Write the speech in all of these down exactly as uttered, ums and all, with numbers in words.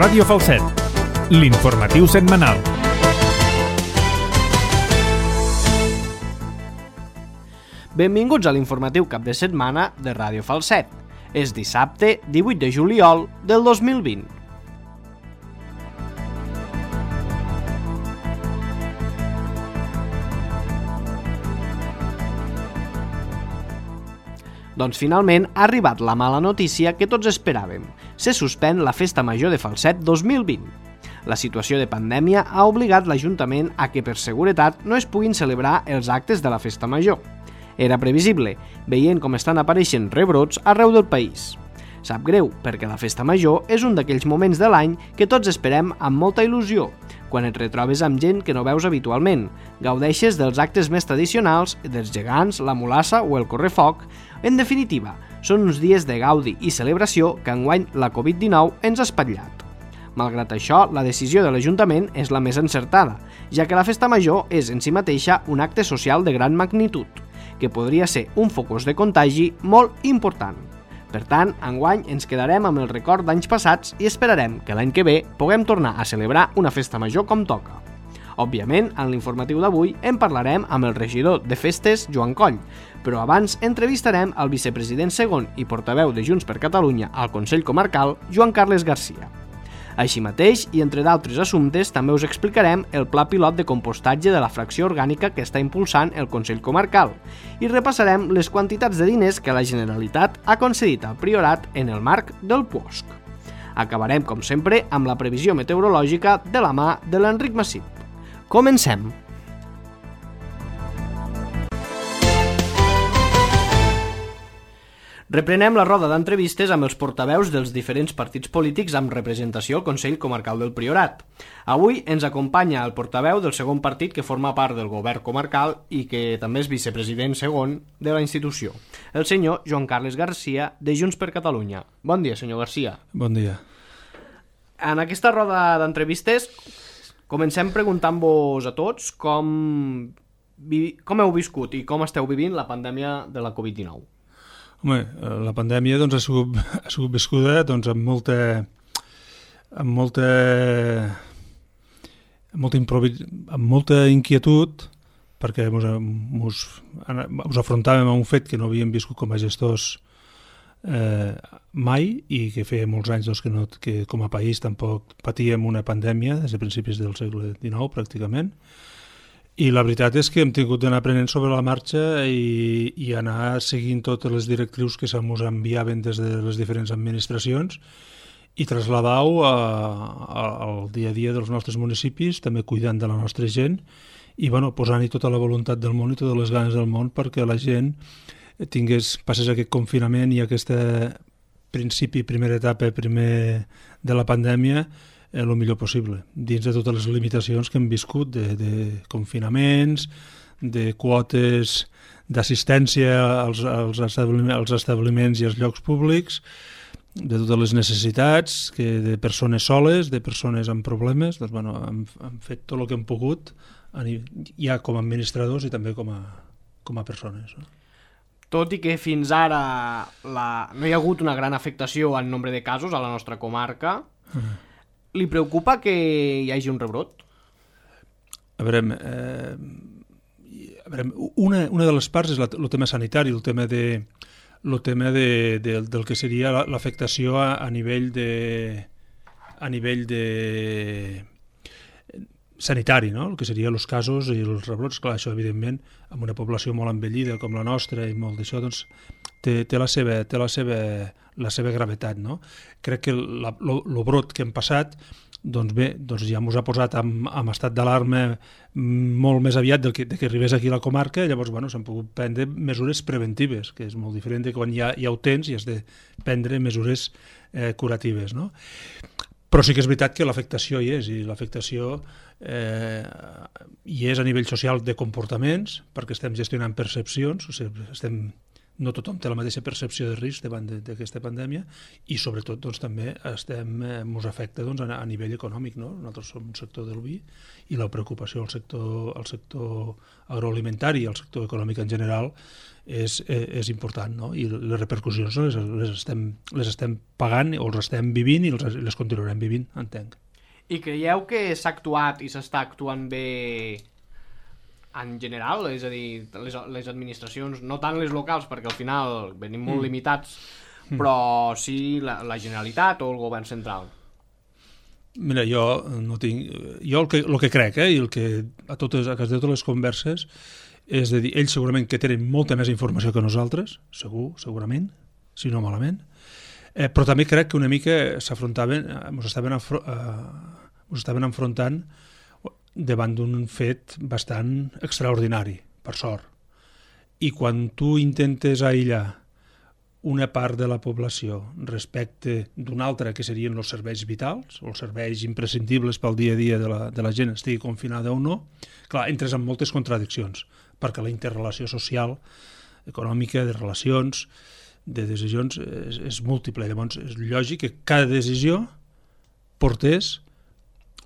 Ràdio Falset, l'informatiu setmanal. Benvinguts a l'informatiu cap de setmana de Ràdio Falset. És dissabte divuit de juliol del dos mil vint. Doncs finalment ha arribat la mala notícia que tots esperàvem. Se suspèn la Festa Major de Falset dos mil vint. La situació de pandèmia ha obligat l'Ajuntament a que per seguretat no es puguin celebrar els actes de la Festa Major. Era previsible, veient com estan apareixent rebrots arreu del país. Sap greu, perquè la Festa Major és un d'aquells moments de l'any que tots esperem amb molta il·lusió, quan et retrobes amb gent que no veus habitualment, gaudeixes dels actes més tradicionals, dels gegants, la mulassa o el correfoc. En definitiva, són uns dies de gaudi i celebració que enguany la covid dinou ens ha espatllat. Malgrat això, la decisió de l'Ajuntament és la més encertada, ja que la Festa Major és en si mateixa un acte social de gran magnitud, que podria ser un focus de contagi molt important. Per tant, enguany ens quedarem amb el record d'anys passats i esperarem que l'any que ve puguem tornar a celebrar una festa major com toca. Òbviament, en l'informatiu d'avui en parlarem amb el regidor de festes, Joan Coll, però abans entrevistarem el vicepresident segon i portaveu de Junts per Catalunya al Consell Comarcal, Joan Carles Garcia. Així mateix, i entre d'altres assumptes, també us explicarem el pla pilot de compostatge de la fracció orgànica que està impulsant el Consell Comarcal i repassarem les quantitats de diners que la Generalitat ha concedit al Priorat en el marc del Puosc. Acabarem, com sempre, amb la previsió meteorològica de la mà de l'Enric Massip. Comencem! Reprenem la roda d'entrevistes amb els portaveus dels diferents partits polítics amb representació al Consell Comarcal del Priorat. Avui ens acompanya el portaveu del segon partit que forma part del govern comarcal i que també és vicepresident segon de la institució, el senyor Joan Carles Garcia, de Junts per Catalunya. Bon dia, senyor Garcia. Bon dia. En aquesta roda d'entrevistes comencem preguntant-vos a tots com, com heu viscut i com esteu vivint la pandèmia de la covid dinou. Home, la pandèmia doncs, ha, sigut, ha sigut viscuda doncs, amb molta amb molta amb molta, improvis, amb molta inquietud, perquè mos, mos, mos afrontàvem a un fet que no havíem viscut com a gestors eh, mai i que feia molts anys doncs, que, no, que com a país tampoc patíem una pandèmia des de principis del segle dinou pràcticament. I la veritat és que hem tingut d'anar aprenent sobre la marxa i, i anar seguint totes les directrius que se'ns enviaven des de les diferents administracions i traslladar-ho al dia a dia dels nostres municipis, també cuidant de la nostra gent i bueno, posant-hi tota la voluntat del món i totes les ganes del món perquè la gent tingués, passés aquest confinament i aquesta principi, primera etapa primer de la pandèmia el millor possible, dins de totes les limitacions que hem viscut de, de confinaments, de quotes d'assistència als, als, establiments, als establiments i als llocs públics, de totes les necessitats, que de persones soles, de persones amb problemes, doncs, bueno, hem, hem fet tot el que hem pogut, ja com a administradors i també com a, com a persones. No? Tot i que fins ara la... no hi ha hagut una gran afectació en nombre de casos a la nostra comarca, uh-huh. Li preocupa que hi hagi un rebrot? A veure, eh, a veure una, una de les parts és la, el tema sanitari, el tema, de, el tema de, de, del que seria l'afectació a, a nivell de a nivell de sanitari, no? El que serien els casos i els rebrots. Clar, això evidentment, amb una població molt envellida com la nostra i molt d'això, doncs té, té, la, seva, té la, seva, la seva gravetat, no? Crec que el brot que hem passat doncs bé, doncs ja ens ha posat en, en estat d'alarma molt més aviat del que, de que arribés aquí a la comarca, llavors bueno, s'han pogut prendre mesures preventives, que és molt diferent de quan ja, ja ho tens i has de prendre mesures eh, curatives, no? Però sí que és veritat que l'afectació hi és, i l'afectació eh, hi és a nivell social de comportaments, perquè estem gestionant percepcions, o sigui, estem no tothom té la mateixa percepció de risc davant d'aquesta pandèmia i sobretot doncs, també estem, eh, ens afecta doncs, a, a nivell econòmic, no? Nosaltres som un sector del vi i la preocupació al sector, al sector agroalimentari i al sector econòmic en general és, és, és important, no? I les repercussions les, les, estem, les estem pagant o les estem vivint i les, les continuarem vivint, entenc. I creieu que s'ha actuat i s'està actuant bé en general, és a dir, les, les administracions, no tant les locals, perquè al final venim molt mm. limitats, mm. però sí la, la Generalitat o el govern central? Mira, jo no tinc... Jo el que, el que crec, eh, i el que a totes, a totes les converses, és de dir, ells segurament que tenen molta més informació que nosaltres, segur, segurament, si no malament, eh, però també crec que una mica s'afrontaven, ens estaven, afro, eh, ens estaven enfrontant davant d'un fet bastant extraordinari, per sort. I quan tu intentes aïllar una part de la població respecte d'una altra, que serien els serveis vitals, o els serveis imprescindibles pel dia a dia de la, de la gent, estigui confinada o no, clar, entres en moltes contradiccions, perquè la interrelació social, econòmica, de relacions, de decisions, és, és múltiple. Llavors, és lògic que cada decisió portés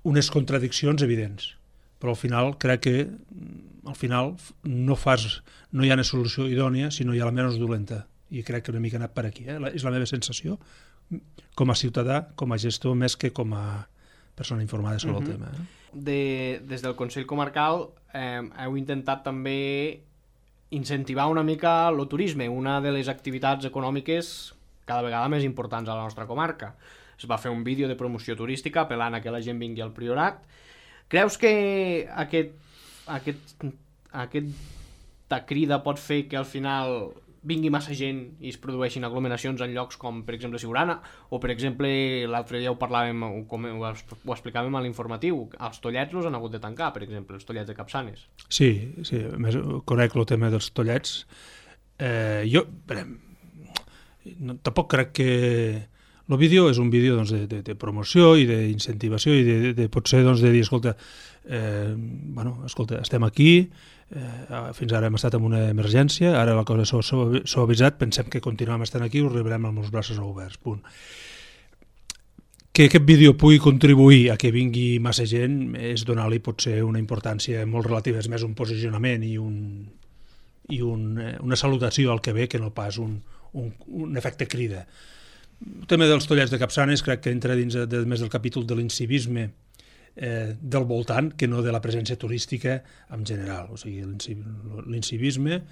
unes contradiccions evidents, però al final crec que al final no fas, no hi ha una solució idònia si no hi ha la menys dolenta, i crec que una mica ha anat per aquí, eh? És la meva sensació com a ciutadà, com a gestor, més que com a persona informada sobre uh-huh. el tema. Eh? De, des del Consell Comarcal eh, heu intentat també incentivar una mica el turisme, una de les activitats econòmiques cada vegada més importants a la nostra comarca. Es va fer un vídeo de promoció turística apel·lant a que la gent vingui al Priorat. Creus que aquest, aquest, aquesta crida pot fer que al final vingui massa gent i es produeixin aglomeracions en llocs com, per exemple, Siurana, o, per exemple, l'altre dia ho parlàvem, com ho, ho explicàvem a l'informatiu, els tollets els han hagut de tancar, per exemple, els tollets de Capçanes. Sí, sí, a més, conec el tema dels tollets. Eh, jo, bé, no, tampoc crec que... El vídeo és un vídeo doncs, de, de, de promoció i d'incentivació i de, de, de potser doncs, de dir, escolta, eh, bueno, escolta, estem aquí, eh, fins ara hem estat en una emergència, ara la cosa s'ha avisat, pensem que continuem estant aquí, us rebrem amb els braços oberts, punt. Que aquest vídeo pugui contribuir a que vingui massa gent és donar-li potser una importància molt relativa, és més un posicionament i, un, i un, una salutació al que ve que no pas un, un, un efecte crida. El tema dels tollets de Capçanes crec que entra dins de, més del capítol de l'incivisme eh, del voltant que no de la presència turística en general. O sigui, l'incivisme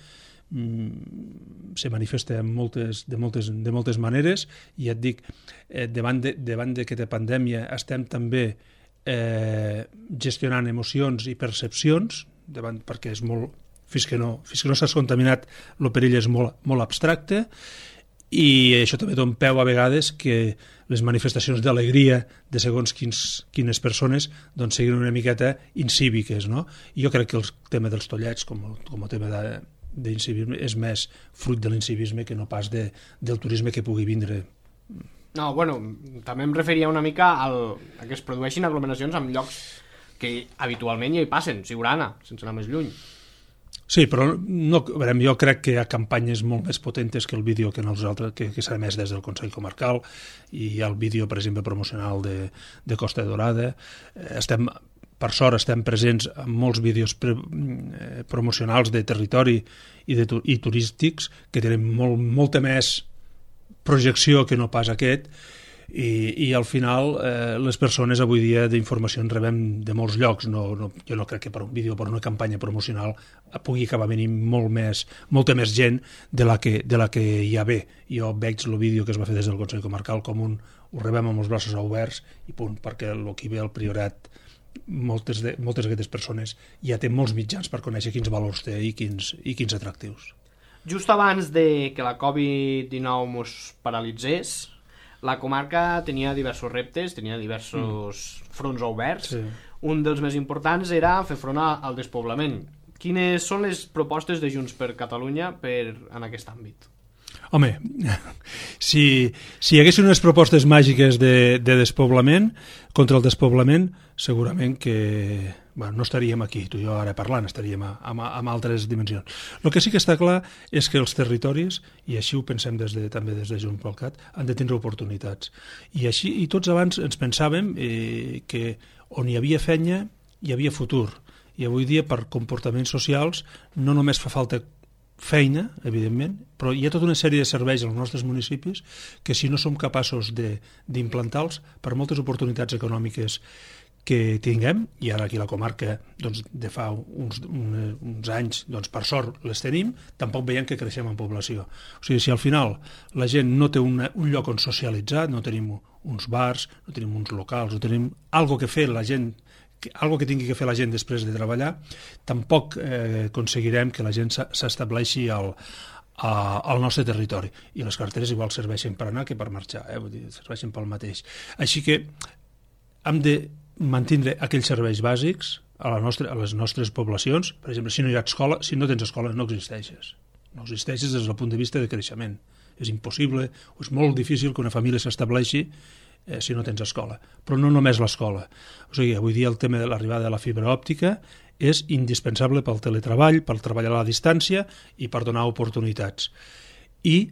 mm, se manifesta en moltes, de, moltes, de moltes maneres i et dic, eh, davant d'aquesta pandèmia estem també eh, gestionant emocions i percepcions davant, perquè és molt, fins que no, fins que no s'has contaminat el perill és molt, molt abstracte. I això també dona peu a vegades que les manifestacions d'alegria de segons quins, quines persones doncs siguin una miqueta incíviques, no? I jo crec que el tema dels tollets, com, com el tema d'incivisme, és més fruit de l'incivisme que no pas de, del turisme que pugui vindre. No, bueno, també em referia una mica al, a que es produeixin aglomeracions en llocs que habitualment ja hi passen, Siurana, sense anar més lluny. Sí, però no, veurem, jo crec que hi ha campanyes molt més potentes que el vídeo que, nosaltres, que, que s'ha emès des del Consell Comarcal, i hi ha el vídeo, per exemple, promocional de, de Costa Dorada. Estem, per sort, estem presents en molts vídeos pre, eh, promocionals de territori i, de, i turístics que tenen molt, molta més projecció que no pas aquest, i, i al final eh, les persones avui dia d'informació en rebem de molts llocs. No, no, jo no crec que per un vídeo, per una campanya promocional pugui acabar venint molt més, molta més gent de la que, de la que hi ha bé. Jo veig el vídeo que es va fer des del Consell Comarcal com un, ho rebem amb els braços oberts i punt, perquè el que ve al Priorat moltes, de, moltes d'aquestes persones ja té molts mitjans per conèixer quins valors té i quins, i quins atractius. Just abans de que la covid dinou mos paralitzés, la comarca tenia diversos reptes, tenia diversos mm. fronts oberts. Sí. Un dels més importants era fer front al despoblament. Quines són les propostes de Junts per Catalunya per, en aquest àmbit? Home, si, si hi haguessin unes propostes màgiques de, de despoblament, contra el despoblament, segurament que bueno, no estaríem aquí, tu i jo ara parlant, estaríem a, a, a altres dimensions. El que sí que està clar és que els territoris, i així ho pensem des de, també des de Junts pel Cat, han de tindre oportunitats. I així, i tots abans ens pensàvem eh, que on hi havia feina hi havia futur. I avui dia, per comportaments socials, no només fa falta feina, evidentment, però hi ha tota una sèrie de serveis als nostres municipis que si no som capaços d'implantar-los, per moltes oportunitats econòmiques que tinguem, i ara aquí la comarca doncs, de fa uns, un, uns anys, doncs, per sort les tenim, tampoc veiem que creixem en població. O sigui, si al final la gent no té una, un lloc on socialitzar, no tenim uns bars, no tenim uns locals, no tenim algo que fer la gent, algo que tingui que fer la gent després de treballar, tampoc eh, aconseguirem que la gent s'estableixi al, a, al nostre territori. I les carreteres igual serveixen per anar que per marxar, eh? Vull dir, serveixen pel mateix. Així que hem de mantindre aquells serveis bàsics a, la nostra, a les nostres poblacions. Per exemple, si no hi ha escola, si no tens escola, no existeixes. No existeixes des del punt de vista de creixement. És impossible, o és molt difícil que una família s'estableixi eh, si no tens escola. Però no només l'escola. O sigui, avui dia el tema de l'arribada de la fibra òptica és indispensable pel teletreball, per treballar a la distància i per donar oportunitats. I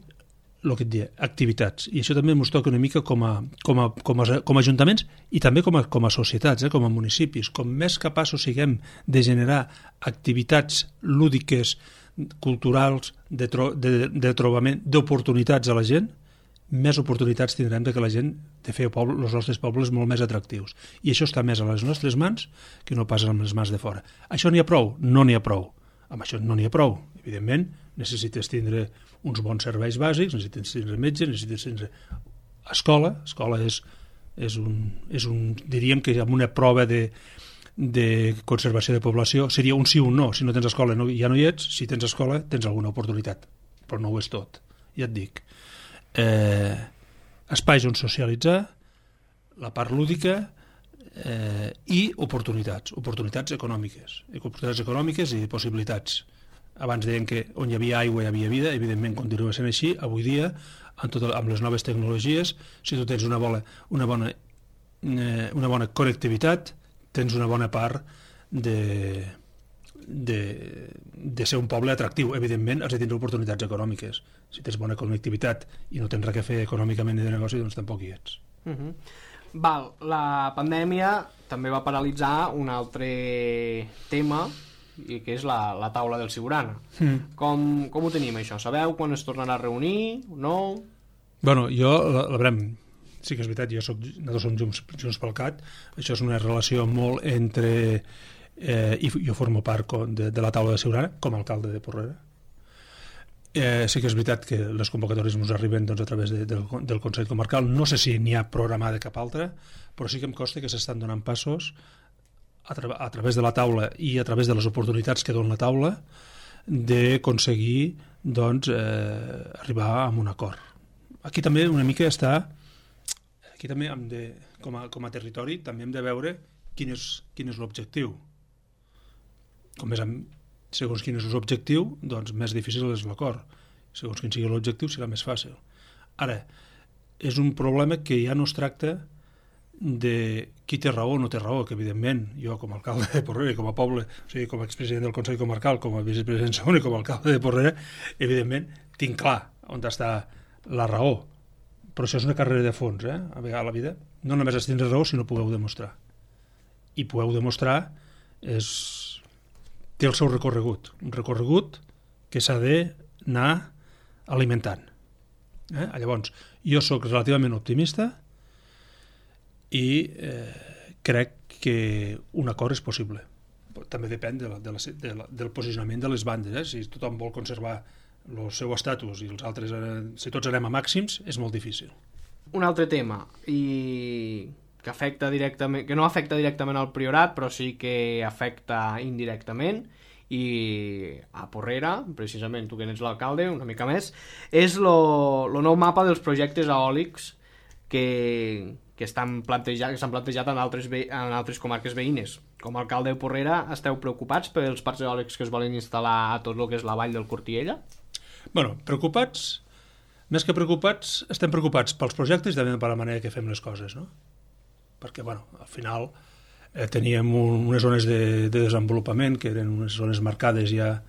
el que et deia, activitats. I això també ens toca una mica com a, com a, com a, com a ajuntaments i també com a, com a societats, eh, com a municipis. Com més capaços siguem de generar activitats lúdiques, culturals, de, tro, de, de trobament, d'oportunitats a la gent, més oportunitats tindrem de que la gent de fer poble, els nostres pobles molt més atractius. I això està més a les nostres mans que no pas amb les mans de fora. Això n'hi ha prou? No n'hi ha prou. Amb això no n'hi ha prou. Evidentment, necessites tindre uns bons serveis bàsics, necessites tindre metge, necessites tindre escola. Escola és, és, un, és un, diríem que amb una prova de, de conservació de població seria un sí o un no. Si no tens escola no, ja no hi ets, si tens escola tens alguna oportunitat, però no ho és tot. Ja et dic. Eh, espais on socialitzar, la part lúdica eh, i oportunitats, oportunitats econòmiques, oportunitats econòmiques i possibilitats. Abans deien que on hi havia aigua hi havia vida, evidentment continua sent així. Avui dia, amb, tot, amb les noves tecnologies, si tu tens una bona, una bona, eh, una bona connectivitat, tens una bona part de, de, de ser un poble atractiu. Evidentment, has de tindre oportunitats econòmiques. Si tens bona connectivitat i no tens res a fer econòmicament ni de negoci, doncs tampoc hi ets. Uh -huh. Val, la pandèmia també va paralitzar un altre tema, i que és la, la taula del Siurana. Mm. Com, com ho tenim, això? Sabeu quan es tornarà a reunir o no? Bueno, jo, la, la verem, sí que és veritat, jo soc, nosaltres som Junts, Junts pel Cat, això és una relació molt entre... Eh, i jo formo part de, de la taula de Siurana, com a alcalde de Porrera. Eh, sí que és veritat que les convocatòries ens arriben doncs, a través de, del, del Consell Comarcal. No sé si n'hi ha programada cap altra, però sí que em consta que s'estan donant passos a, tra a través de la taula i a través de les oportunitats que dona la taula d'aconseguir doncs, eh, arribar a un acord. Aquí també una mica està, aquí també hem de, com a, com a territori també hem de veure quin és, quin és l'objectiu. Com més amb, segons quin és l'objectiu, doncs més difícil és l'acord. Segons quin sigui l'objectiu serà més fàcil. Ara, és un problema que ja no es tracta de qui té raó o no té raó, que evidentment jo com a alcalde de Porrera, com a poble, o sigui, com a expresident del Consell Comarcal, com a vicepresident segon i com a alcalde de Porrera, evidentment tinc clar on està la raó. Però això és una carrera de fons, eh? A vegades a la vida no només has de tindre raó, sinó podeu demostrar. I podeu demostrar és... té el seu recorregut, un recorregut que s'ha d'anar alimentant. Eh? Llavors, jo sóc relativament optimista i eh, crec que un acord és possible. També depèn de la, de la, de la, del posicionament de les bandes. Eh? Si tothom vol conservar el seu estatus i els altres, eh, si tots anem a màxims, és molt difícil. Un altre tema, i que afecta directament, que no afecta directament al Priorat, però sí que afecta indirectament, i a Porrera, precisament tu que ets l'alcalde, una mica més, és el nou mapa dels projectes eòlics que, que estan plantejat, que s'han plantejat en altres, en altres comarques veïnes. Com a alcalde de Porrera, esteu preocupats pels parcs eòlics que es volen instal·lar a tot el que és la vall del Cortiella? Bueno, preocupats, més que preocupats, estem preocupats pels projectes i també per la manera que fem les coses, no? Perquè, bueno, al final eh, teníem un, unes zones de, de desenvolupament que eren unes zones marcades ja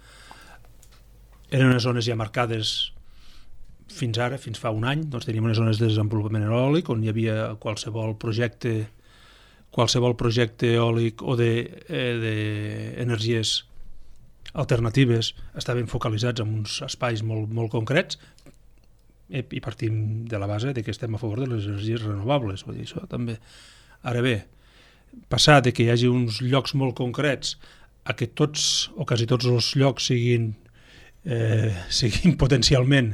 eren unes zones ja marcades fins ara, fins fa un any, doncs teníem unes zones de desenvolupament eòlic on hi havia qualsevol projecte qualsevol projecte eòlic o d'energies de, eh, alternatives estaven focalitzats en uns espais molt, molt concrets eh, i partim de la base de que estem a favor de les energies renovables, vull dir, això també. Ara bé, passar de que hi hagi uns llocs molt concrets a que tots o quasi tots els llocs siguin, eh, siguin potencialment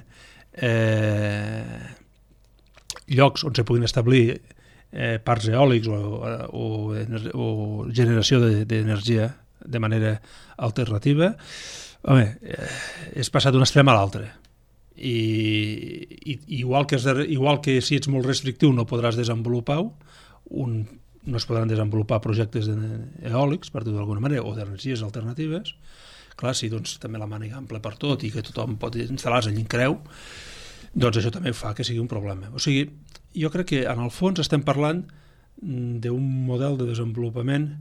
eh, llocs on se puguin establir eh, parcs eòlics o, o, o generació d'energia de, de manera alternativa, home, eh, és passar d'un extrem a l'altre. I, i igual, que és, igual que si ets molt restrictiu no podràs desenvolupar un, no es podran desenvolupar projectes eòlics, per dir d'alguna manera, o d'energies alternatives. Clar, si doncs, també la màniga ampla per tot i que tothom pot instal·lar-se allà en creu, doncs això també fa que sigui un problema. O sigui, jo crec que en el fons estem parlant d'un model de desenvolupament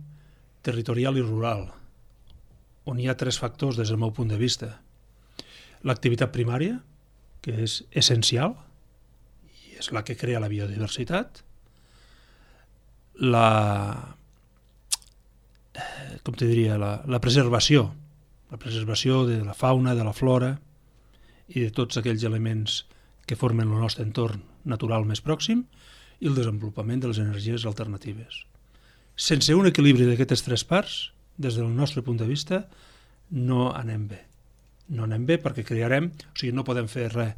territorial i rural, on hi ha tres factors des del meu punt de vista. L'activitat primària, que és essencial, i és la que crea la biodiversitat, la, com te diria, la, la preservació, la preservació de la fauna, de la flora i de tots aquells elements que formen el nostre entorn natural més pròxim i el desenvolupament de les energies alternatives. Sense un equilibri d'aquestes tres parts, des del nostre punt de vista, no anem bé. No anem bé perquè crearem, o sigui, no podem fer res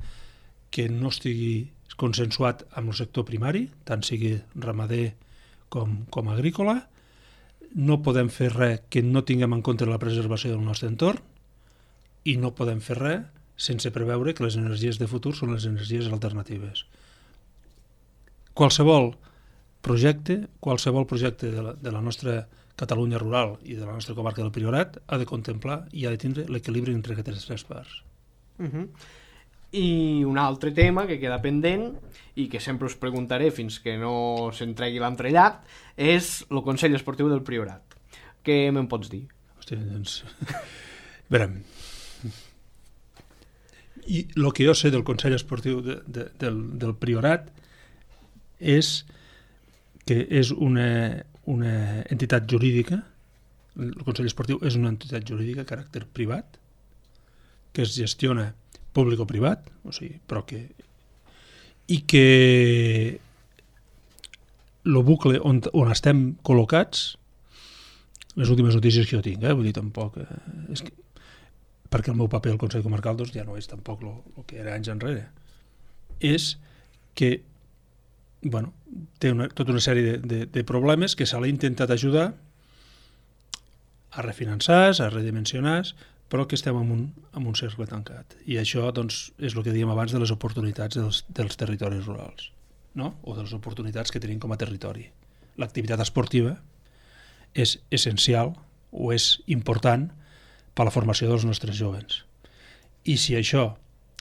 que no estigui consensuat amb el sector primari, tant sigui ramader com, com agrícola, no podem fer res que no tinguem en compte la preservació del nostre entorn i no podem fer res sense preveure que les energies de futur són les energies alternatives. Qualsevol projecte, qualsevol projecte de la, de la nostra Catalunya rural i de la nostra comarca del Priorat ha de contemplar i ha de tindre l'equilibri entre aquestes tres parts. Uh-huh. I un altre tema que queda pendent i que sempre us preguntaré fins que no s'entregui l'entrellat és el Consell Esportiu del Priorat. Què me'n pots dir? Hòstia, doncs... Verem. I el que jo sé del Consell Esportiu de, de, del, del Priorat és que és una, una entitat jurídica, el Consell Esportiu és una entitat jurídica de caràcter privat que es gestiona públic o privat, o sigui, però que i que el bucle on, on estem col·locats, les últimes notícies que jo tinc, eh, vull dir, tampoc eh, és que, perquè el meu paper al Consell Comarcal doncs, ja no és tampoc el que era anys enrere, és que bueno, té una, tota una sèrie de, de, de problemes que se l'ha intentat ajudar a refinançar, a redimensionar, però que estem en un, en un cercle tancat. I això doncs, és el que dèiem abans de les oportunitats dels, dels territoris rurals, no? O de les oportunitats que tenim com a territori. L'activitat esportiva és essencial o és important per a la formació dels nostres joves. I si això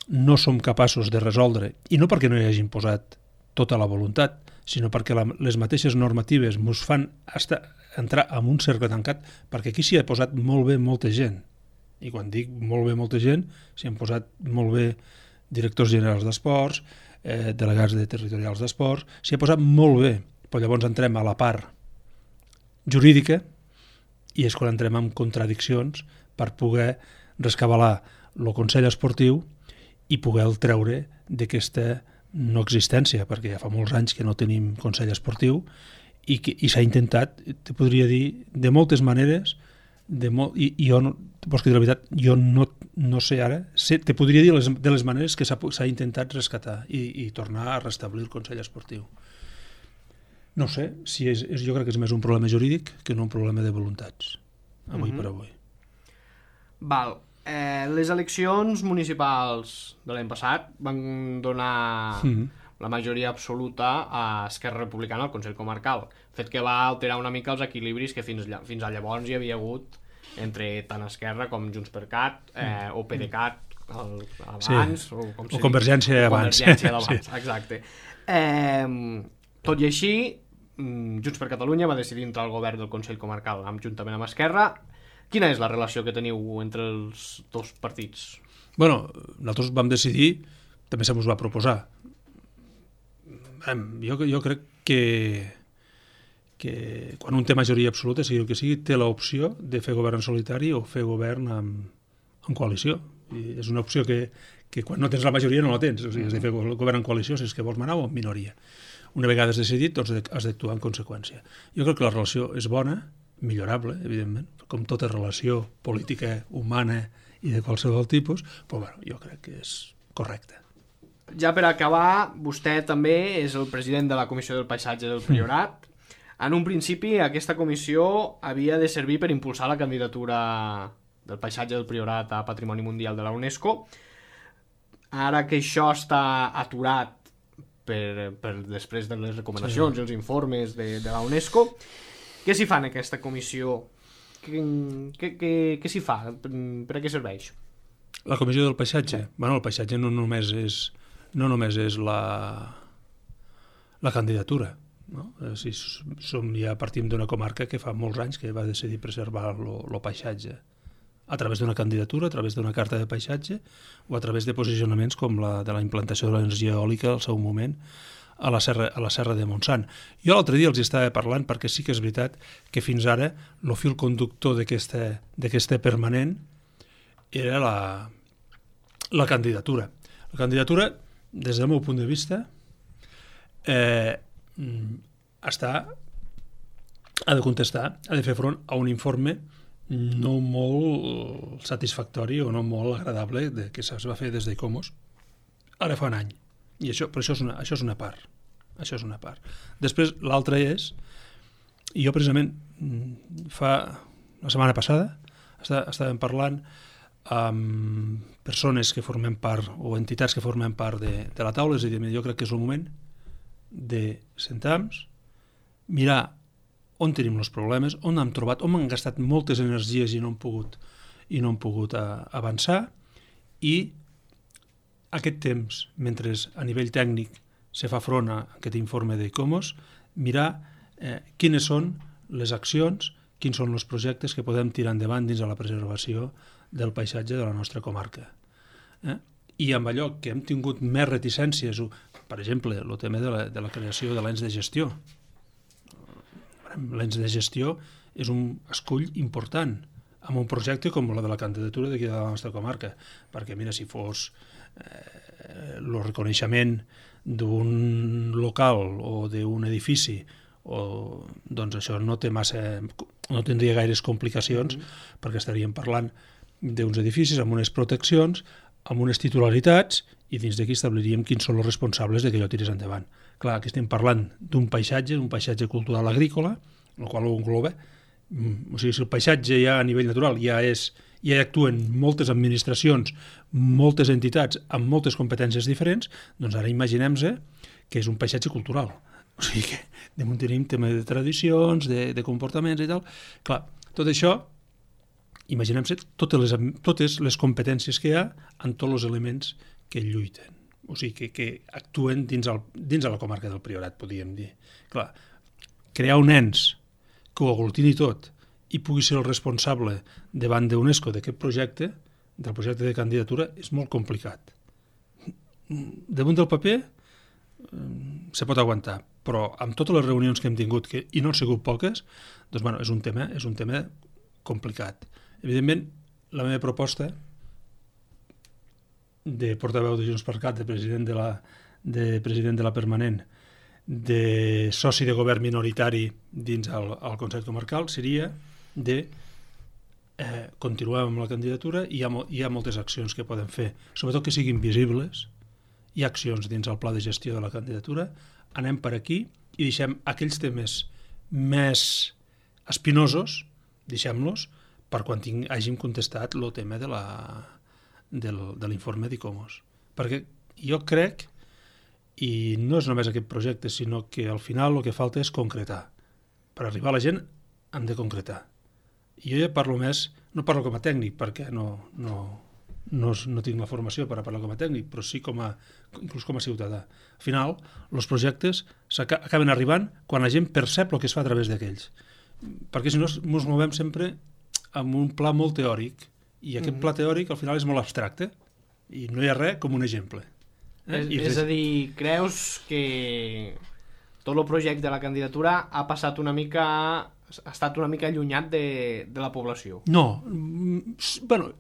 no som capaços de resoldre, i no perquè no hi hagin posat tota la voluntat, sinó perquè la, les mateixes normatives ens fan estar, entrar en un cercle tancat, perquè aquí s'hi ha posat molt bé molta gent. I quan dic molt bé molta gent, s'hi han posat molt bé directors generals d'esports, eh, delegats de territorials d'esports, s'hi ha posat molt bé, però llavors entrem a la part jurídica i és quan entrem en contradiccions per poder rescabalar el Consell Esportiu i poder el treure d'aquesta no existència, perquè ja fa molts anys que no tenim Consell Esportiu i, que, i s'ha intentat, te podria dir, de moltes maneres, de molt, i, i jo, no, vols que dir la veritat, jo no, no sé ara, sé, te podria dir les, de les maneres que s'ha intentat rescatar i, i tornar a restablir el Consell Esportiu. No sé, si és, és, jo crec que és més un problema jurídic que no un problema de voluntats, avui mm-hmm. per avui. Val. Eh, les eleccions municipals de l'any passat van donar mm-hmm. la majoria absoluta a Esquerra Republicana al Consell Comarcal, fet que va alterar una mica els equilibris que fins, fins a llavors hi havia hagut entre tant Esquerra com Junts per Cat eh, o PDeCAT el, abans, sí. o, com o Convergència abans. Convergència d'abans, sí. Exacte. Eh, tot i així, Junts per Catalunya va decidir entrar al govern del Consell Comarcal, amb, juntament amb Esquerra. Quina és la relació que teniu entre els dos partits? Bueno, nosaltres vam decidir, també se mos va proposar. Jo, jo crec que que quan un té majoria absoluta, sigui el que sigui, té l'opció de fer govern en solitari o fer govern amb, amb coalició. I és una opció que, que quan no tens la majoria no la tens, o sigui, has de fer govern en coalició si és que vols manar o en minoria. Una vegada has decidit, doncs has d'actuar en conseqüència. Jo crec que la relació és bona, millorable, evidentment, com tota relació política, humana i de qualsevol tipus, però bueno, jo crec que és correcte. Ja per acabar, vostè també és el president de la Comissió del Paisatge del Priorat. En un principi, aquesta comissió havia de servir per impulsar la candidatura del paisatge del Priorat a Patrimoni Mundial de la UNESCO. Ara que això està aturat per, per després de les recomanacions sí. i els informes de, de la UNESCO, què s'hi fa en aquesta comissió? Què, què, què, què s'hi fa? Per, per a què serveix? La Comissió del Paisatge? Sí. Bueno, el paisatge no només és, no només és la, la candidatura. No? Si som, ja partim d'una comarca que fa molts anys que va decidir preservar el paisatge a través d'una candidatura, a través d'una carta de paisatge o a través de posicionaments com la de la implantació de l'energia eòlica al seu moment a la serra, a la serra de Montsant. Jo l'altre dia els estava parlant perquè sí que és veritat que fins ara el fil conductor d'aquesta permanent era la, la candidatura. La candidatura, des del meu punt de vista, eh, està, ha de contestar, ha de fer front a un informe no molt satisfactori o no molt agradable de, que es va fer des d'Icomos ara fa un any. I això, però això és, una, això és una part. Això és una part. Després, l'altra és, i jo precisament fa la setmana passada està, estàvem parlant amb persones que formem part o entitats que formem part de, de la taula, és a dir, jo crec que és el moment de sentar-nos, mirar on tenim els problemes, on hem trobat, on hem gastat moltes energies i no hem pogut, i no hem pogut a, avançar, i aquest temps, mentre a nivell tècnic se fa front a aquest informe d'Icomos, mirar eh, quines són les accions, quins són els projectes que podem tirar endavant dins de la preservació del paisatge de la nostra comarca. Eh? I amb allò que hem tingut més reticències, per exemple, el tema de la, de la creació de l'ens de gestió. L'ens de gestió és un escull important amb un projecte com la de la candidatura d'aquí de la nostra comarca, perquè mira, si fos eh, el reconeixement d'un local o d'un edifici, o, doncs això no té massa, no tindria gaires complicacions, mm-hmm. perquè estaríem parlant d'uns edificis amb unes proteccions, amb unes titularitats, i dins d'aquí establiríem quins són els responsables de que allò tirés endavant. Clar, aquí estem parlant d'un paisatge, un paisatge cultural agrícola, el qual ho engloba. O sigui, si el paisatge ja a nivell natural ja és, ja actuen moltes administracions, moltes entitats amb moltes competències diferents, doncs ara imaginem-se que és un paisatge cultural. O sigui que damunt tenim tema de tradicions, de, de comportaments i tal. Clar, tot això, imaginem-se totes les, totes les competències que hi ha en tots els elements que lluiten, o sigui, que, que actuen dins, el, dins de la comarca del Priorat, podríem dir. Clar, crear un ens que ho aglutini tot i pugui ser el responsable davant d'UNESCO d'aquest projecte, del projecte de candidatura, és molt complicat. Damunt del paper se pot aguantar, però amb totes les reunions que hem tingut, que, i no han sigut poques, doncs, bueno, és un tema, és un tema complicat. Evidentment, la meva proposta de portaveu de Junts per Cat, de president de la, de president de la permanent, de soci de govern minoritari dins el, el Consell Comarcal, seria de eh, continuar amb la candidatura i hi ha, hi ha moltes accions que poden fer, sobretot que siguin visibles. Hi ha accions dins el pla de gestió de la candidatura, anem per aquí i deixem aquells temes més espinosos, deixem-los per quan ting, hàgim contestat el tema de la del, de l'informe d'Icomos. Perquè jo crec, i no és només aquest projecte, sinó que al final el que falta és concretar. Per arribar a la gent hem de concretar. I jo ja parlo més, no parlo com a tècnic, perquè no, no, no, no tinc la formació per a parlar com a tècnic, però sí com a, inclús com a ciutadà. Al final, els projectes acaben arribant quan la gent percep el que es fa a través d'aquells. Perquè si no ens movem sempre amb un pla molt teòric, i aquest mm-hmm. pla teòric al final és molt abstracte, i no hi ha res com un exemple. Eh? És, és a dir, creus que tot el projecte de la candidatura ha passat una mica, ha estat una mica allunyat de, de la població? No, bueno,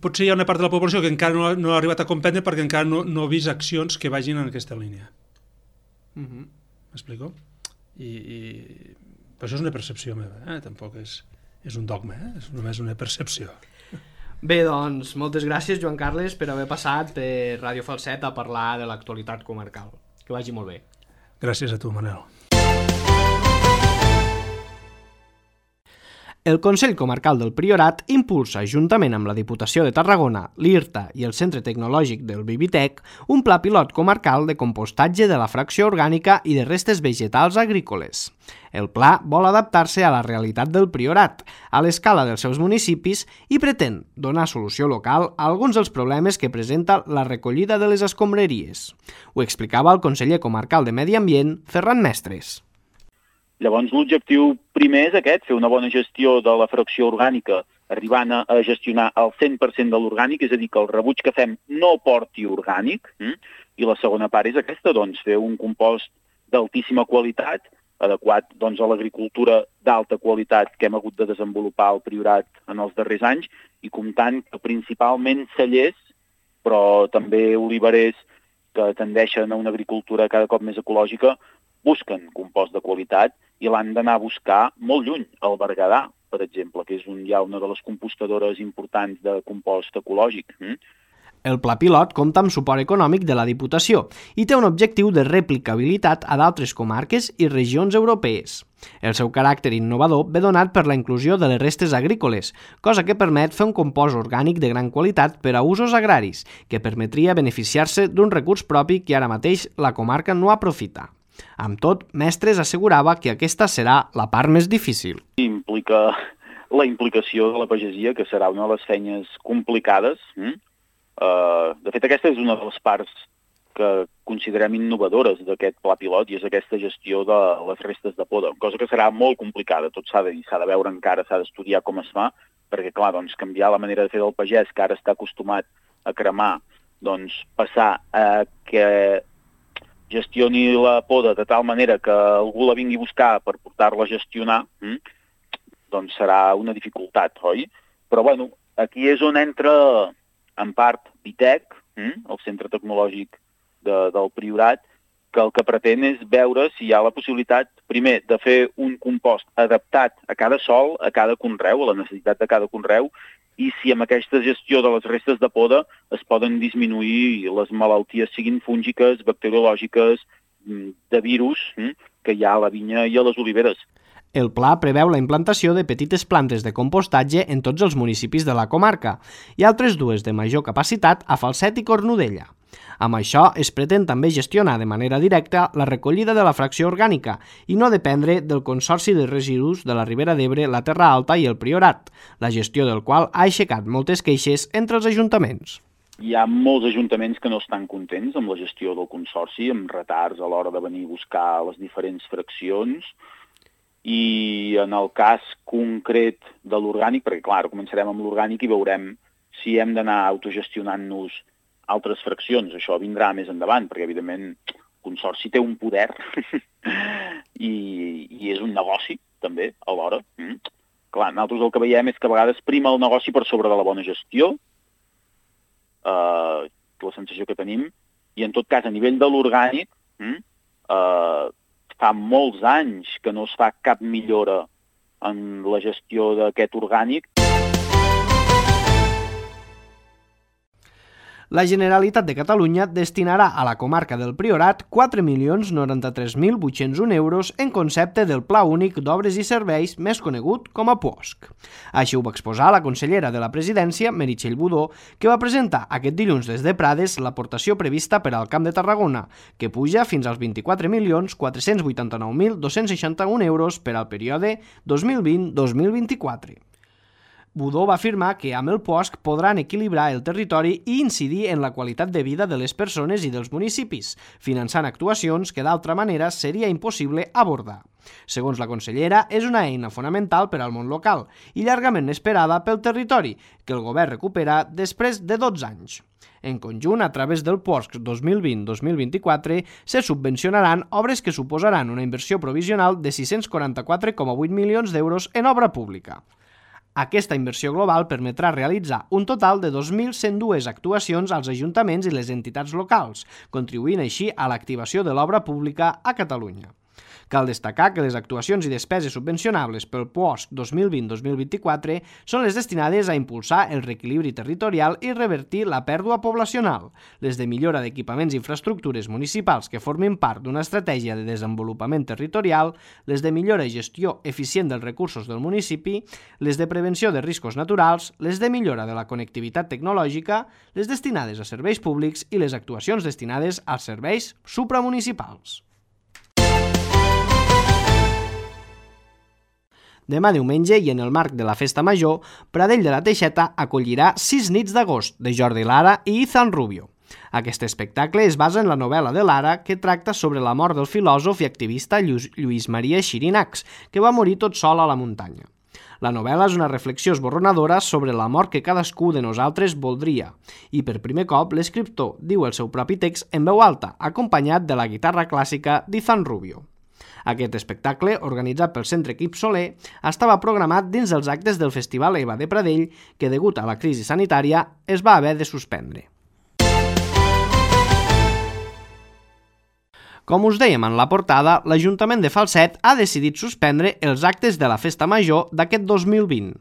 potser hi ha una part de la població que encara no ha, no ha arribat a comprendre perquè encara no, no ha vist accions que vagin en aquesta línia. Mm-hmm. M'explico? I, i però això és una percepció meva, eh? Tampoc és, és un dogma, eh? És només una percepció. Bé, doncs, moltes gràcies, Joan Carles, per haver passat per Ràdio Falset a parlar de l'actualitat comarcal. Que vagi molt bé. Gràcies a tu, Manel. El Consell Comarcal del Priorat impulsa, juntament amb la Diputació de Tarragona, l'I R T A i el Centre Tecnològic del Bibitec, un pla pilot comarcal de compostatge de la fracció orgànica i de restes vegetals agrícoles. El pla vol adaptar-se a la realitat del Priorat, a l'escala dels seus municipis i pretén donar solució local a alguns dels problemes que presenta la recollida de les escombraries. Ho explicava el conseller comarcal de Medi Ambient, Ferran Mestres. Llavors, l'objectiu primer és aquest, fer una bona gestió de la fracció orgànica, arribant a gestionar el cent per cent de l'orgànic, és a dir, que el rebuig que fem no porti orgànic, hm? I la segona part és aquesta, doncs, fer un compost d'altíssima qualitat, adequat doncs, a l'agricultura d'alta qualitat que hem hagut de desenvolupar al Priorat en els darrers anys, i comptant que principalment cellers, però també oliverers que tendeixen a una agricultura cada cop més ecològica, busquen compost de qualitat i l'han d'anar a buscar molt lluny, al Berguedà, per exemple, que és un, ja una de les compostadores importants de compost ecològic. Mm? El pla pilot compta amb suport econòmic de la Diputació i té un objectiu de replicabilitat a d'altres comarques i regions europees. El seu caràcter innovador ve donat per la inclusió de les restes agrícoles, cosa que permet fer un compost orgànic de gran qualitat per a usos agraris, que permetria beneficiar-se d'un recurs propi que ara mateix la comarca no aprofita. Amb tot, Mestres assegurava que aquesta serà la part més difícil. Implica la implicació de la pagesia, que serà una de les feines complicades. Mm? Uh, de fet, aquesta és una de les parts que considerem innovadores d'aquest pla pilot i és aquesta gestió de les restes de poda, cosa que serà molt complicada. Tot s'ha de dir, s'ha de veure encara, s'ha d'estudiar com es fa, perquè, clar, doncs, canviar la manera de fer del pagès, que ara està acostumat a cremar, doncs, passar a que gestioni la poda de tal manera que algú la vingui a buscar per portar-la a gestionar, hm? doncs serà una dificultat, oi? Però, bueno, aquí és on entra, en part, Bitec, hm? el Centre Tecnològic de, del Priorat, que el que pretén és veure si hi ha la possibilitat, primer, de fer un compost adaptat a cada sòl, a cada conreu, a la necessitat de cada conreu, i si amb aquesta gestió de les restes de poda es poden disminuir les malalties, siguin fúngiques, bacteriològiques, de virus, que hi ha a la vinya i a les oliveres. El pla preveu la implantació de petites plantes de compostatge en tots els municipis de la comarca i altres dues de major capacitat a Falset i Cornudella. Amb això es pretén també gestionar de manera directa la recollida de la fracció orgànica i no dependre del Consorci de Residus de la Ribera d'Ebre, la Terra Alta i el Priorat, la gestió del qual ha aixecat moltes queixes entre els ajuntaments. Hi ha molts ajuntaments que no estan contents amb la gestió del Consorci, amb retards a l'hora de venir a buscar les diferents fraccions, i en el cas concret de l'orgànic, perquè clar, començarem amb l'orgànic i veurem si hem d'anar autogestionant-nos altres fraccions. Això vindrà més endavant, perquè evidentment el Consorci té un poder i, i és un negoci també alhora. Mm. Clar, nosaltres el que veiem és que a vegades prima el negoci per sobre de la bona gestió, eh, la sensació que tenim, i en tot cas a nivell de l'orgànic mm, eh, fa molts anys que no es fa cap millora en la gestió d'aquest orgànic. La Generalitat de Catalunya destinarà a la comarca del Priorat quatre milions noranta-tres mil vuit-cents un euros en concepte del Pla Únic d'Obres i Serveis, més conegut com a P U O S C. Així ho va exposar la consellera de la Presidència, Meritxell Budó, que va presentar aquest dilluns des de Prades l'aportació prevista per al Camp de Tarragona, que puja fins als vint-i-quatre milions quatre-cents vuitanta-nou mil dos-cents seixanta-un euros per al període dos mil vint a dos mil vint-i-quatre. Budó va afirmar que amb el P O S C podran equilibrar el territori i incidir en la qualitat de vida de les persones i dels municipis, finançant actuacions que d'altra manera seria impossible abordar. Segons la consellera, és una eina fonamental per al món local i llargament esperada pel territori, que el govern recupera després de dotze anys. En conjunt, a través del P O S C dos mil vint dos mil vint-i-quatre, se subvencionaran obres que suposaran una inversió provisional de sis-cents quaranta-quatre coma vuit milions d'euros en obra pública. Aquesta inversió global permetrà realitzar un total de dos mil cent dos actuacions als ajuntaments i les entitats locals, contribuint així a l'activació de l'obra pública a Catalunya. Cal destacar que les actuacions i despeses subvencionables pel P O S C dos mil vint dos mil vint-i-quatre són les destinades a impulsar el reequilibri territorial i revertir la pèrdua poblacional, les de millora d'equipaments i infraestructures municipals que formin part d'una estratègia de desenvolupament territorial, les de millora i gestió eficient dels recursos del municipi, les de prevenció de riscos naturals, les de millora de la connectivitat tecnològica, les destinades a serveis públics i les actuacions destinades als serveis supramunicipals. Demà diumenge i en el marc de la Festa Major, Pradell de la Teixeta acollirà Sis nits d'agost de Jordi Lara i Ethan Rubio. Aquest espectacle es basa en la novel·la de Lara que tracta sobre la mort del filòsof i activista Lluís Maria Xirinacs, que va morir tot sol a la muntanya. La novel·la és una reflexió esborronadora sobre la mort que cadascú de nosaltres voldria, i per primer cop l'escriptor diu el seu propi text en veu alta, acompanyat de la guitarra clàssica d'Ethan Rubio. Aquest espectacle, organitzat pel Centre Quip Soler, estava programat dins dels actes del Festival EVA de Pradell, que, degut a la crisi sanitària, es va haver de suspendre. Com us dèiem en la portada, l'Ajuntament de Falset ha decidit suspendre els actes de la Festa Major d'aquest dos mil vint.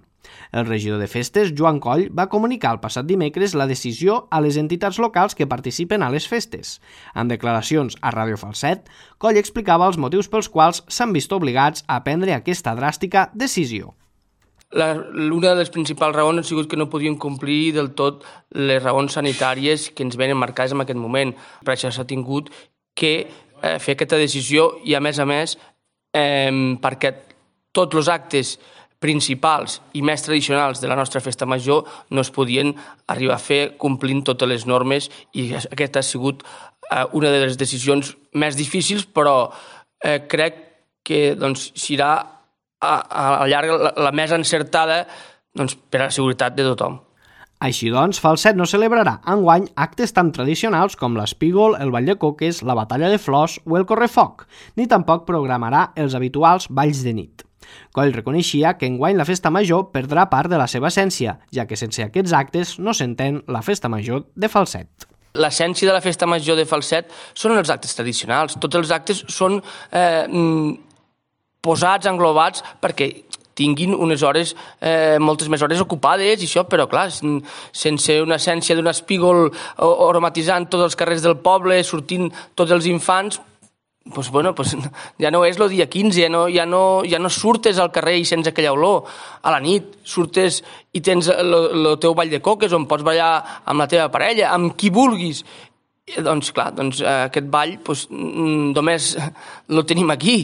El regidor de Festes, Joan Coll, va comunicar el passat dimecres la decisió a les entitats locals que participen a les festes. En declaracions a Ràdio Falset, Coll explicava els motius pels quals s'han vist obligats a prendre aquesta dràstica decisió. La, una de les principals raons ha sigut que no podien complir del tot les raons sanitàries que ens venen marcades en aquest moment. Per això s'ha tingut que eh, fer aquesta decisió i, a més a més, eh, perquè tots els actes principals i més tradicionals de la nostra festa major no es podien arribar a fer complint totes les normes, i aquesta ha sigut eh, una de les decisions més difícils, però eh, crec que doncs, serà a, a llarg la, la més encertada doncs, per a la seguretat de tothom. Així doncs, Falset no celebrarà enguany actes tan tradicionals com l'espígol, el ball de coques, la batalla de flors o el correfoc, ni tampoc programarà els habituals balls de nit. Coll reconeixia que enguany la festa major perdrà part de la seva essència, ja que sense aquests actes no s'entén la festa major de Falset. L'essència de la festa major de Falset són els actes tradicionals. Tots els actes són eh, posats, englobats, perquè tinguin unes hores, eh, moltes més hores ocupades i això, però clar, sense una essència d'un espígol aromatitzant tots els carrers del poble, sortint tots els infants, pues bueno, pues ja no és el dia quinze, ja no, ja, no, ja no surtes al carrer i sents aquella olor. A la nit surtes i tens el teu ball de coques on pots ballar amb la teva parella, amb qui vulguis. I, doncs clar, doncs, aquest ball pues, només el tenim aquí.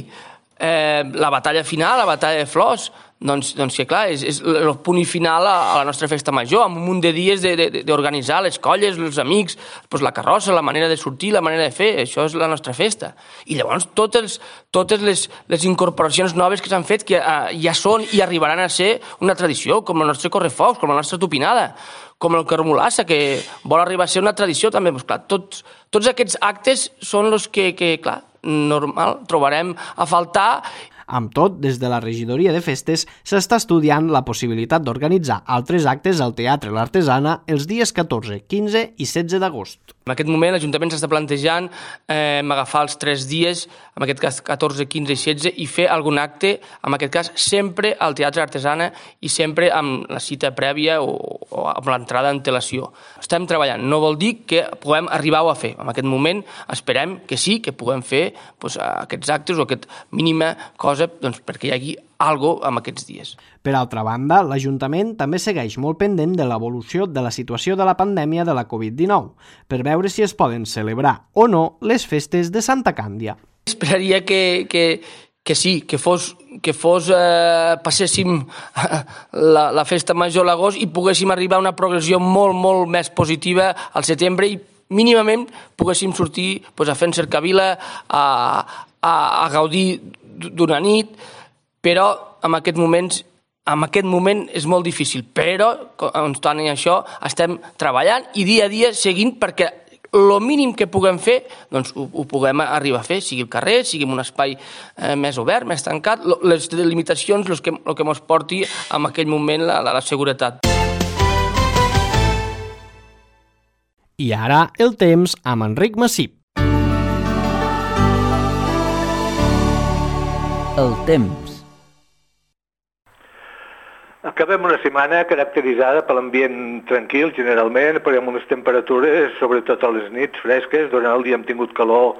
Eh, la batalla final, la batalla de flors, doncs, doncs que clar, és, és el punt final a, a la nostra festa major, amb un munt de dies d'organitzar les colles, els amics, doncs la carrossa, la manera de sortir, la manera de fer, això és la nostra festa. I llavors totes, totes les, les incorporacions noves que s'han fet que uh, ja són i arribaran a ser una tradició, com el nostre correfocs, com la nostra tupinada, com el carmolassa, que vol arribar a ser una tradició també. Doncs, clar, tots, tots aquests actes són els que, que clar, normal trobarem a faltar. Amb tot, des de la regidoria de festes s'està estudiant la possibilitat d'organitzar altres actes al Teatre L'Artesana els dies catorze, quinze i setze d'agost. En aquest moment l'Ajuntament s'està plantejant eh, agafar els tres dies, en aquest cas catorze, quinze i setze, i fer algun acte, en aquest cas sempre al Teatre Artesana i sempre amb la cita prèvia o, o amb l'entrada d'antelació. Estem treballant, no vol dir que puguem arribar-ho a fer. En aquest moment esperem que sí, que puguem fer doncs, aquests actes o aquesta mínima cosa doncs, perquè hi hagi algo en aquests dies. Per altra banda, l'Ajuntament també segueix molt pendent de l'evolució de la situació de la pandèmia de la covid dinou, per veure si es poden celebrar o no les festes de Santa Càndia. Esperaria que, que, que sí, que fos, que fos eh, passéssim la, la festa major a l'agost i poguéssim arribar a una progressió molt, molt més positiva al setembre i mínimament poguéssim sortir pues, a fer cercavila, a, a, a gaudir d'una nit, però en aquest moments en aquest moment és molt difícil, però, obstant això, estem treballant i dia a dia seguint perquè el mínim que puguem fer, doncs ho, ho puguem arribar a fer, sigui el carrer, sigui en un espai eh, més obert, més tancat, les limitacions, el que, el que ens porti en aquell moment la, la, la seguretat. I ara el temps amb Enric Massip. El temps. Acabem una setmana caracteritzada per l'ambient tranquil, generalment, però amb unes temperatures, sobretot a les nits, fresques. Durant el dia hem tingut calor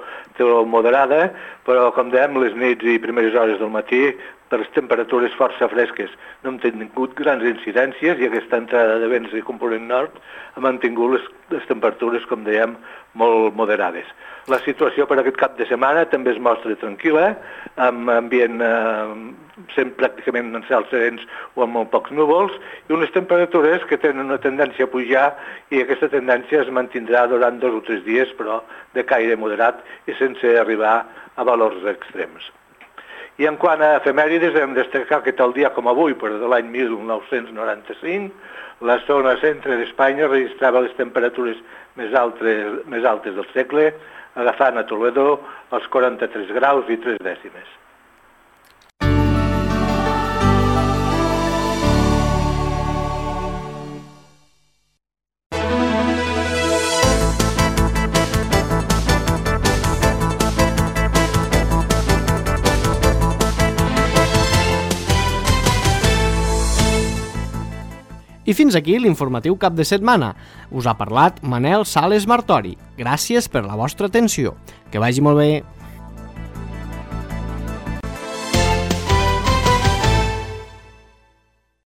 moderada, però, com dèiem, les nits i primeres hores del matí, per les temperatures força fresques. No hem tingut grans incidències i aquesta entrada de vents de component nord ha mantingut les, les temperatures, com dèiem, molt moderades. La situació per aquest cap de setmana també es mostra tranquil·la, amb ambient eh, sent pràcticament en cels serens o amb molt pocs núvols, i unes temperatures que tenen una tendència a pujar i aquesta tendència es mantindrà durant dos o tres dies, però de caire moderat i sense arribar a valors extrems. I en quant a efemèrides, hem de destacar que tal dia com avui, però de l'any mil nou-cents noranta-cinc, la zona centre d'Espanya registrava les temperatures més altes, més altes del segle, agafant a Toledo els quaranta-tres graus i tres dècimes. I fins aquí l'informatiu cap de setmana. Us ha parlat Manel Sales Martori. Gràcies per la vostra atenció. Que vagi molt bé.